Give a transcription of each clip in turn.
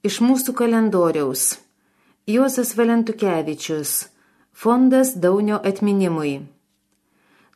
Iš mūsų kalendoriaus. Juozas Valentukevičius. Fondas Daunio atminimui.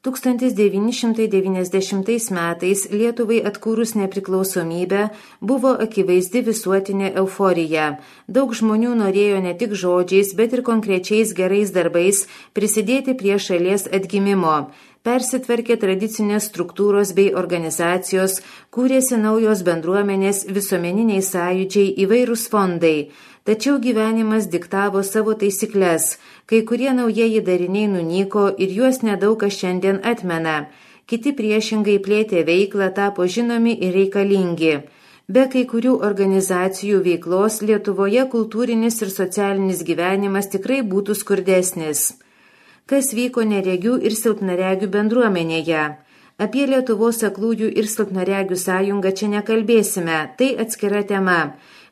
1990 metais Lietuvai atkūrus nepriklausomybę buvo akivaizdi visuotinė euforija. Daug žmonių norėjo ne tik žodžiais, bet ir konkrečiais gerais darbais prisidėti prie šalies atgimimo. Persitvarkė tradicinės struktūros bei organizacijos, kūrėsi naujos bendruomenės, visuomeniniai sąjūdžiai, įvairūs fondai. Tačiau gyvenimas diktavo savo taisykles, kai kurie naujieji dariniai nunyko ir juos nedaug kas šiandien atmena. Kiti priešingai plėtė veiklą, tapo žinomi ir reikalingi. Be kai kurių organizacijų veiklos Lietuvoje kultūrinis ir socialinis gyvenimas tikrai būtų skurdesnis. Kas vyko neregių ir silpnaregių bendruomenėje? Apie Lietuvos aklųjų ir silpnaregių sąjungą čia nekalbėsime, tai atskira tema.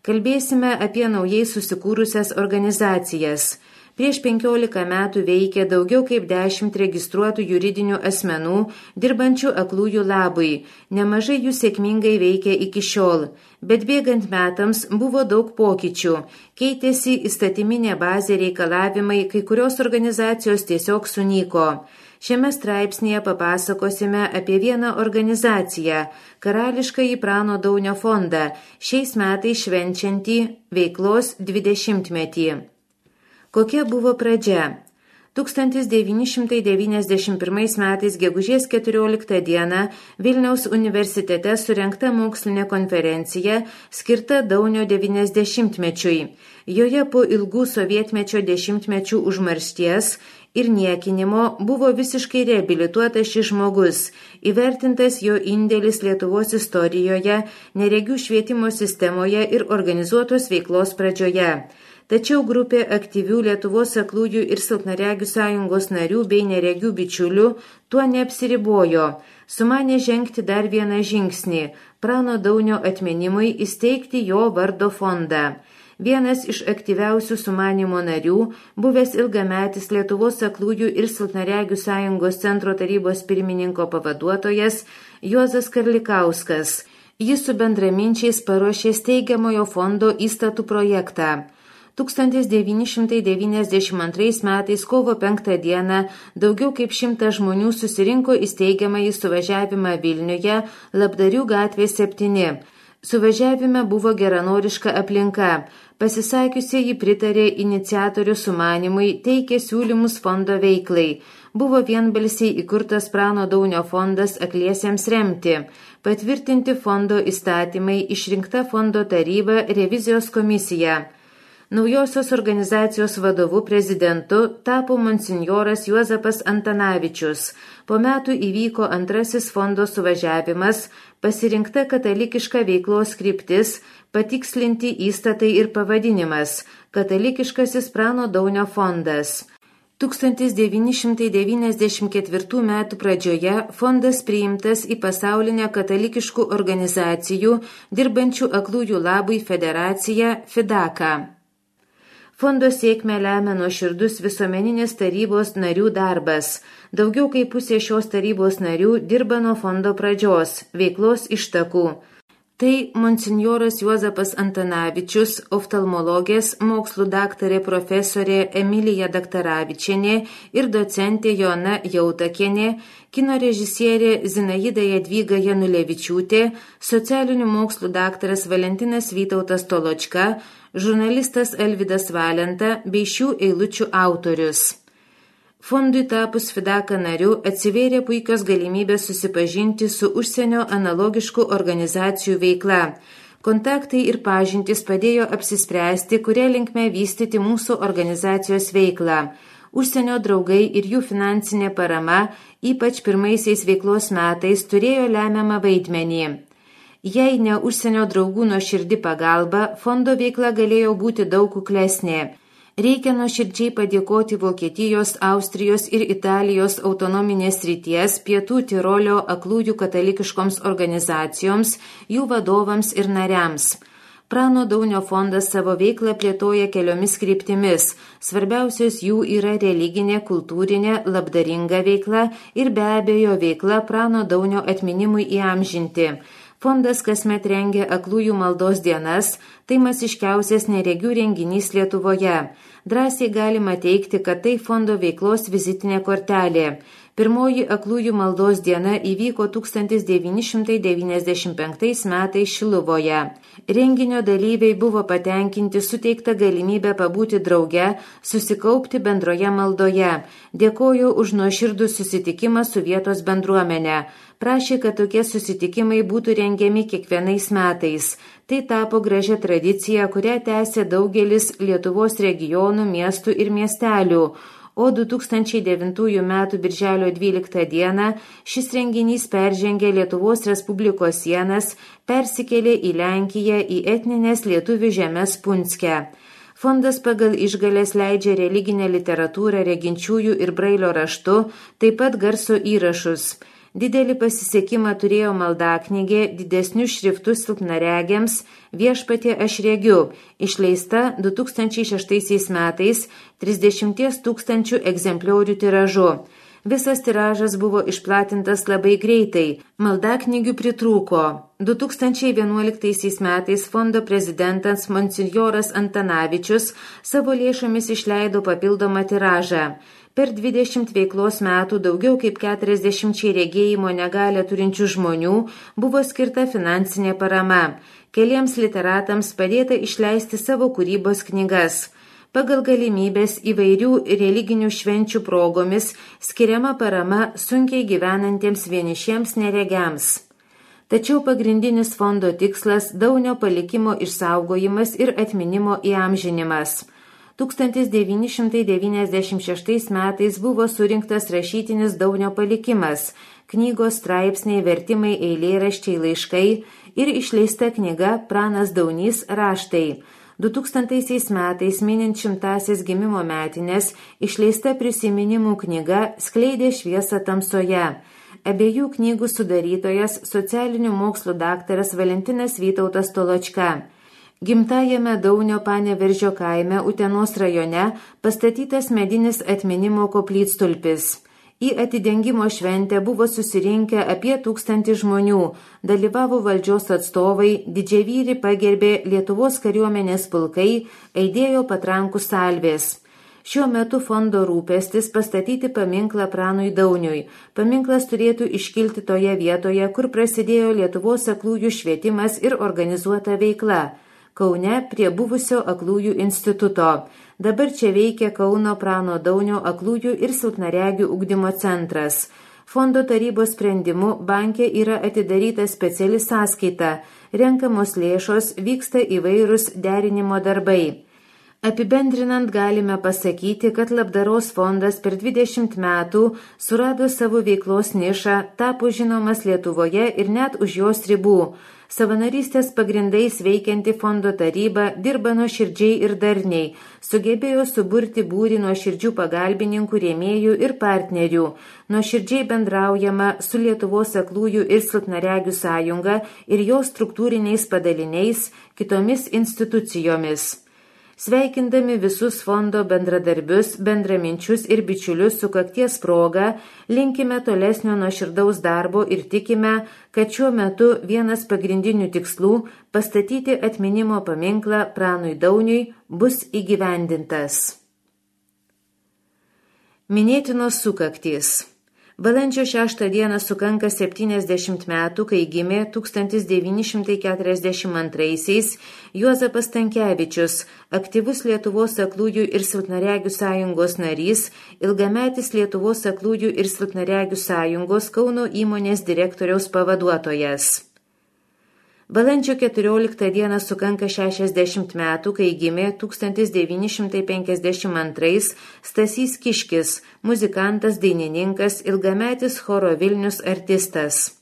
Kalbėsime apie naujai susikūrusias organizacijas. Prieš 15 metų veikė daugiau kaip 10 registruotų juridinių asmenų, dirbančių aklųjų labui. Nemažai jų sėkmingai veikia iki šiol. Bet bėgant metams buvo daug pokyčių. Keitėsi įstatyminė bazė, reikalavimai, kai kurios organizacijos tiesiog sunyko. Šiame straipsnėje papasakosime apie vieną organizaciją – Karališkąjį Prano Daunio fondą, šiais metais švenčiantį veiklos 20-metį. Kokia buvo pradžia? 1991 metais gegužės 14 dieną Vilniaus universitete surengta mokslinė konferencija skirta Daunio 90-mečiui. Joje po ilgų sovietmečio dešimtmečių užmaršties ir niekinimo buvo visiškai reabilituotas šis žmogus, įvertintas jo indėlis Lietuvos istorijoje, neregių švietimo sistemoje ir organizuotos veiklos pradžioje. Tačiau grupė aktyvių Lietuvos aklųjų ir silpnaregių sąjungos narių bei neregių bičiulių tuo neapsiribojo. Sumanė žengti dar vieną žingsnį – Prano Daunio atminimui įsteigti jo vardo fondą. Vienas iš aktyviausių sumanimo narių, buvęs ilgametis Lietuvos aklųjų ir silpnaregių sąjungos centro tarybos pirmininko pavaduotojas Juozas Karlikauskas. Jis su bendraminčiais paruošė steigiamojo fondo įstatų projektą. 1992 metais kovo 5 dieną daugiau kaip 100 žmonių susirinko į steigiamąjį suvažiavimą Vilniuje, Labdarių gatvė 7. Suvažiavime buvo geranoriška aplinka. Pasisakiusieji pritarė iniciatorių sumanimui, teikė siūlymus fondo veiklai. Buvo vienbalsiai įkurtas Prano Daunio fondas akliesiems remti. Patvirtinti fondo įstatymai, išrinkta fondo taryba, revizijos komisija. Naujosios organizacijos vadovu prezidentu tapo monsinjoras Juozapas Antanavičius. Po metų įvyko antrasis fondo suvažiavimas, pasirinkta katalikiška veiklos kryptis, patikslinti įstatai ir pavadinimas – Katalikiškasis Prano Daunio fondas. 1994 metų pradžioje fondas priimtas į pasaulinę katalikiškų organizacijų dirbančių aklųjų labui federaciją FIDAKA. Fondo sėkmę lemia nuoširdus visuomeninės tarybos narių darbas. Daugiau kaip pusė šios tarybos narių dirba nuo fondo pradžios, veiklos ištakų. Tai monsinjoras Juozapas Antanavičius, oftalmologės, mokslų daktarė profesorė Emilija Daktaravičienė ir docentė Joana Jautakienė, kino režisierė Zinaida Jadvyga Janulevičiūtė, socialinių mokslų daktaras Valentinas Vytautas Toločka, žurnalistas Alvydas Valenta bei šių eilučių autorius. Fondui tapus FIDAKA nariu atsivėrė puikios galimybės susipažinti su užsienio analogiškų organizacijų veikla. Kontaktai ir pažintys padėjo apsispręsti, kuria linkme vystyti mūsų organizacijos veiklą. Užsienio draugai ir jų finansinė parama, ypač pirmaisiais veiklos metais, turėjo lemiamą vaidmenį. Jei ne užsienio draugų nuoširdi pagalba, fondo veikla galėjo būti daug kuklesnė. Reikia nuoširdžiai padėkoti Vokietijos, Austrijos ir Italijos autonominės srities Pietų Tirolio aklųjų katalikiškoms organizacijoms, jų vadovams ir nariams. Prano Daunio fondas savo veiklą plėtoja keliomis kryptimis. Svarbiausios jų yra religinė, kultūrinė, labdaringa veikla ir be abejo veikla Prano Daunio atminimui įamžinti. Fondas kasmet rengia aklųjų maldos dienas, tai masiškiausias neregių renginys Lietuvoje. Drąsiai galima teikti, kad tai fondo veiklos vizitinė kortelė. Pirmoji aklųjų maldos diena įvyko 1995 metais Šiluvoje. Renginio dalyviai buvo patenkinti suteikta galimybę pabūti drauge, susikaupti bendroje maldoje. Dėkojo už nuoširdų susitikimą su vietos bendruomenė. Prašė, kad tokie susitikimai būtų rengiami kiekvienais metais. Tai tapo gražia tradicija, kurią tęsė daugelis Lietuvos regionų, miestų ir miestelių. O 2009 m. birželio 12 d. šis renginys peržengė Lietuvos Respublikos sienas, persikėlė į Lenkiją, į etninės lietuvių žemes Punskę. Fondas pagal išgales leidžia religinę literatūrą reginčiųjų ir brailio raštu, taip pat garso įrašus. Didelį pasisekimą turėjo maldaknygė didesnius šriftus silpnaregiams Viešpatie aš regiu, išleista 2006 metais 30 000 egzempliorių tiražu. Visas tiražas buvo išplatintas labai greitai, maldaknygių pritrūko. 2011 metais fondo prezidentas monsinjoras Antanavičius savo lėšomis išleido papildomą tiražą. Per 20 veiklos metų daugiau kaip 40 regėjimo negalią turinčių žmonių buvo skirta finansinė parama. Keliems literatams padėta išleisti savo kūrybos knygas. Pagal galimybės įvairių religinių švenčių progomis skiriama parama sunkiai gyvenantiems vienišiems neregiams. Tačiau pagrindinis fondo tikslas Daunio palikimo išsaugojimas ir atminimo įamžinimas. 1996 metais buvo surinktas rašytinis Daunio palikimas, knygos straipsniai, vertimai, eilėraščiai, laiškai ir išleista knyga Pranas Daunys raštai. 2000 metais minint 100-asias gimimo metinės išleista prisiminimų knyga Skleidė šviesą tamsoje. Abiejų knygų sudarytojas socialinių mokslų daktaras Valentinas Vytautas Toločka. Gimtajame Daunio Paneveržio kaime Utenos rajone pastatytas medinis atminimo koplytstulpis. Į atidengimo šventę buvo susirinkę apie 1000 žmonių, dalyvavo valdžios atstovai, didžiavyrį pagerbė Lietuvos kariuomenės pulkai, aidėjo patrankų salvės. Šiuo metu fondo rūpestis pastatyti paminklą Pranui Dauniui. Paminklas turėtų iškilti toje vietoje, kur prasidėjo Lietuvos aklųjų švietimas ir organizuota veikla. Kaune prie buvusio aklųjų instituto. Dabar čia veikia Kauno Prano Daunio aklųjų ir silpnaregių ugdymo centras. Fondo tarybos sprendimu banke yra atidaryta speciali sąskaita. Renkamos lėšos, vyksta įvairūs derinimo darbai. Apibendrinant galime pasakyti, kad labdaros fondas per 20 metų surado savo veiklos nišą, tapo žinomas Lietuvoje ir net už jos ribų. Savanorystės pagrindais veikianti fondo taryba dirba nuoširdžiai ir darniai, sugebėjo suburti būrį nuoširdžių pagalbininkų, rėmėjų ir partnerių. Nuoširdžiai bendraujama su Lietuvos aklųjų ir silpnaregių sąjunga ir jos struktūriniais padaliniais, kitomis institucijomis. Sveikindami visus fondo bendradarbius, bendraminčius ir bičiulius sukakties proga, linkime tolesnio nuoširdaus darbo ir tikime, kad šiuo metu vienas pagrindinių tikslų – pastatyti atminimo paminklą Pranui Dauniui bus įgyvendintas. Minėtinos sukaktys. Balandžio 6 dieną sukanka 70 metų, kai gimė 1942 Juozapas Stankevičius, aktyvus Lietuvos aklųjų ir silpnaregių sąjungos narys, ilgametis Lietuvos aklųjų ir silpnaregių sąjungos Kauno įmonės direktoriaus pavaduotojas. Balandžio 14 dieną sukanka 60 metų, kai gimė 1952 Stasys Kiškis, muzikantas, dainininkas, ilgametis choro Vilnius artistas.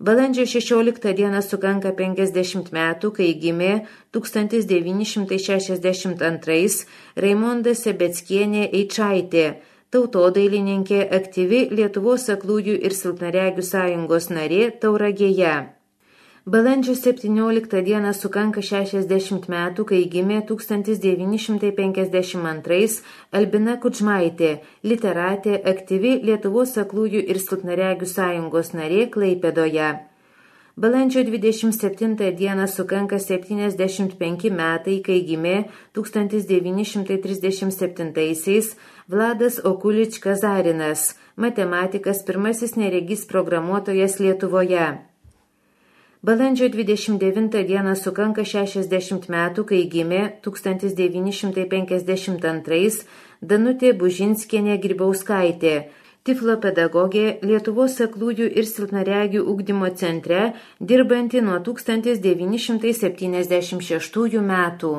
Balandžio 16 dieną sukanka 50 metų, kai gimė 1962 Raimonda Sebeckienė Eičaitė, tautodailininkė, aktyvi Lietuvos aklųjų ir silpnaregių sąjungos narė Tauragėje. Balandžio 17 dieną sukanka 60 metų, kai gimė 1952 Albina Kudžmaitė, literatė, aktyvi Lietuvos aklųjų ir silpnaregių sąjungos narė Klaipėdoje. Balandžio 27 dieną sukanka 75 metai, kai gimė 1937-aisiais Vladas Okulič Kazarinas, matematikas, pirmasis neregys programuotojas Lietuvoje. Balandžio 29 dieną sukanka 60 metų, kai gimė 1952 Danutė Bužinskienė Grybauskaitė, tiflopedagogė Lietuvos aklųjų ir silpnaregių ugdymo centre, dirbanti nuo 1976 metų.